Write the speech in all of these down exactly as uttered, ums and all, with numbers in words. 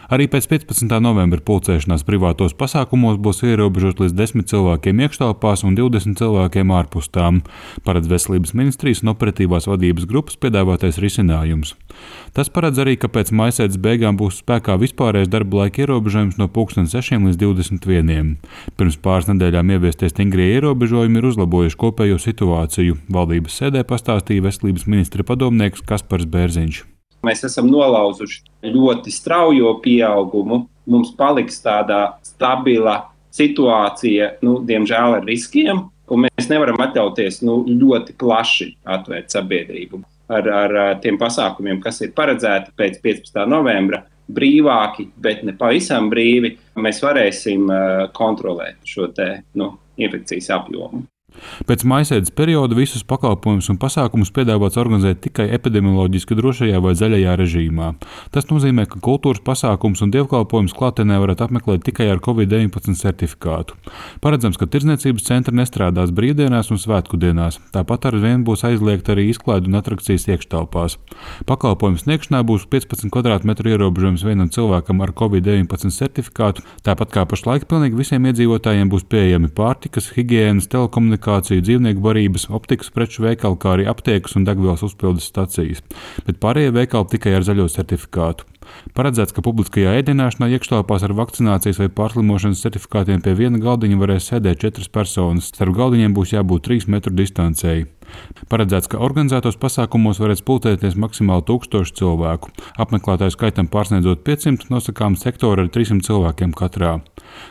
Arī pēc piecpadsmitā novembra pulcēšanās privātos pasākumos būs ierobežot līdz desmit cilvēkiem iekštelpās un divdesmit cilvēkiem ārpus tām, paredz Veselības ministrijas un operatīvās vadības grupas piedāvātais risinājums. Tas paredz arī, ka pēc maijsēdes beigām būs spēkā vispārējais darba laika ierobežojums no pulksten sešiem līdz divdesmit vieniem. Pirms pāris nedēļām ieviestie stingrie ierobežojumi ir uzlabojuši kopējo situāciju. Valdības sēdē pastāstīja Veselības ministra padomnieks Kaspars Bērziņš. Mēs esam nolauzuši ļoti straujo pieaugumu. Mums paliks tāda stabila situācija, nu, diemžēl ar riskiem, un mēs nevaram atļauties nu, ļoti plaši atvērt sabiedrību. Ar, ar tiem pasākumiem, kas ir paredzēti pēc piecpadsmitā novembra, brīvāki, bet ne pavisam brīvi, mēs varēsim kontrolēt šo te, nu, infekcijas apjomu. Pēc maijsēdes perioda visus pakalpojumus un pasākumus piedāvāts organizēt tikai epidemioloģiski drošajā vai zaļajā režīmā. Tas nozīmē, ka kultūras pasākums un dievkalpojumus klātienē varat apmeklēt tikai ar covid deviņpadsmit certifikātu. Paredzams, ka tirdzniecības centri nestrādās brīvdienās un svētku dienās. Tāpat ar vienu būs aizliegta arī izklaide un atrakcijas iekštelpās. Pakalpojumu sniegšanā būs piecpadsmit kvadrātmetru ierobežojums vienam cilvēkam ar covid deviņpadsmit certifikātu. Tāpat kā pašlaik pilnīgi visiem iedzīvotājiem būs pieejami pārtikas, higienas, telekomunikācijas, dzīvnieku barības, optikas preču veikali, kā arī aptiekas un degvielas uzpildes stacijas, bet pārējie veikali tikai ar zaļo certifikātu. Paredzēts, ka publiskajā ēdienāšanā iekštelpās ar vakcinācijas vai pārslimošanas certifikātiem pie viena galdiņa varēs sēdēt četras personas. Starp galdiņiem būs jābūt trīs metru distancei. Paredzēts, ka organizētos pasākumos varēs pulcēties maksimāli tūkstoši cilvēku. Apmeklētāju skaitam pārsniedzot piecsimt, nosakām sektoru ar trīsimt cilvēkiem katrā.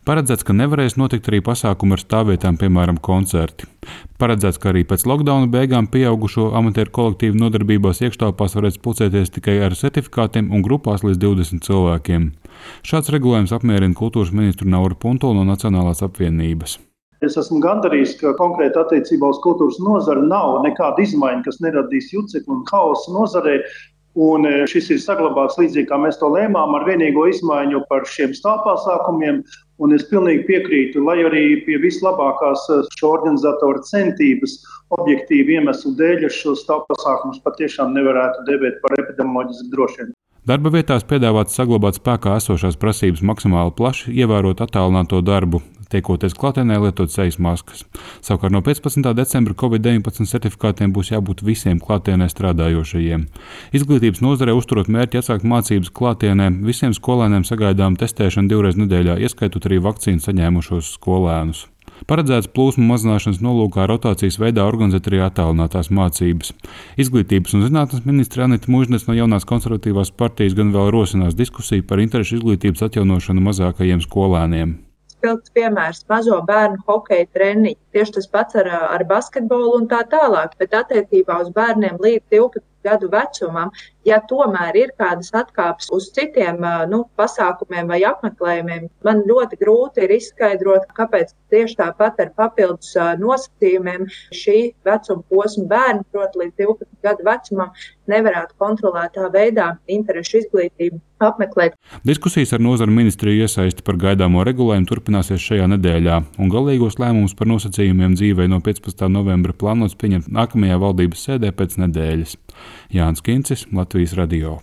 Paredzēts, ka nevarēs notikt arī pasākumi ar stāvvietām, piemēram, koncerti. Paredzēts, ka arī pēc lockdowna beigām pieaugušo amatieru kolektīvu nodarbībās iekštelpās varēs pulcēties tikai ar certifikātiem un grupās līdz divdesmit cilvēkiem. Šāds regulējums apmierina kultūras ministru Nauru Puntulu no Nacionālās apvienības. Es esmu gandarīts, ka konkrēti attiecībā uz kultūras nozari nav nekāda izmaiņa, kas neradīs jucekli un haosu nozarē. Un šis ir saglabāts līdzīgi, kā mēs to lēmām, ar vienīgo izmaiņu par šiem stāvpasākumiem. Un es pilnīgi piekrītu, lai arī pie vislabākās šo organizatoru centības objektīvu iemeslu dēļ šos stāvpasākumus patiešām nevarētu dēvēt par epidemioloģiski drošiem. Darba vietās piedāvāts saglabāt spēkā esošās prasības maksimāli plaši, ievērot attālināto darbu, tiekoties klātienē lietot sejas maskas. Savukārt no piecpadsmitā decembra covid deviņpadsmit certifikātiem būs jābūt visiem klātienē strādājošajiem. Izglītības nozarē uzturot mērķi atsākt mācības klātienē, visiem skolēniem sagaidām testēšanu divreiz nedēļā, ieskaitot arī vakcīnu saņēmušos skolēnus. Paredzēts plūsmu mazināšanas nolūkā rotācijas veidā organizēt arī attālinātās mācības. Izglītības un zinātnes ministre Anita Mužniece no Jaunās konservatīvās partijas gan vēl rosinās diskusiju par interešu izglītības atjaunošanu mazākajiem skolēniem. Spilgts piemērs - mazo bērnu hokeja treniņi. Tieši tas pats ar, ar basketbolu un tā tālāk, bet attiecībā uz bērniem līdz divpadsmit gadu vecumam, ja tomēr ir kādas atkāpes uz citiem nu, pasākumiem vai apmeklējumiem, man ļoti grūti ir izskaidrot, kāpēc tieši tāpat ar papildus nosacījumiem šī vecuma posma bērni, proti līdz divpadsmit gadu vecumam, nevarētu kontrolētā veidā interešu izglītību apmeklēt. Diskusijas ar nozaru ministriju iesaisti par gaidāmo regulējumu turpināsies šajā nedēļā, un galīgos lēmumus par nosacījumiem dzīvei no piecpadsmitā novembra plānots pieņemt nākamajā valdības sēdē pēc nedēļas. Jānis Kincis, Latvijas radio.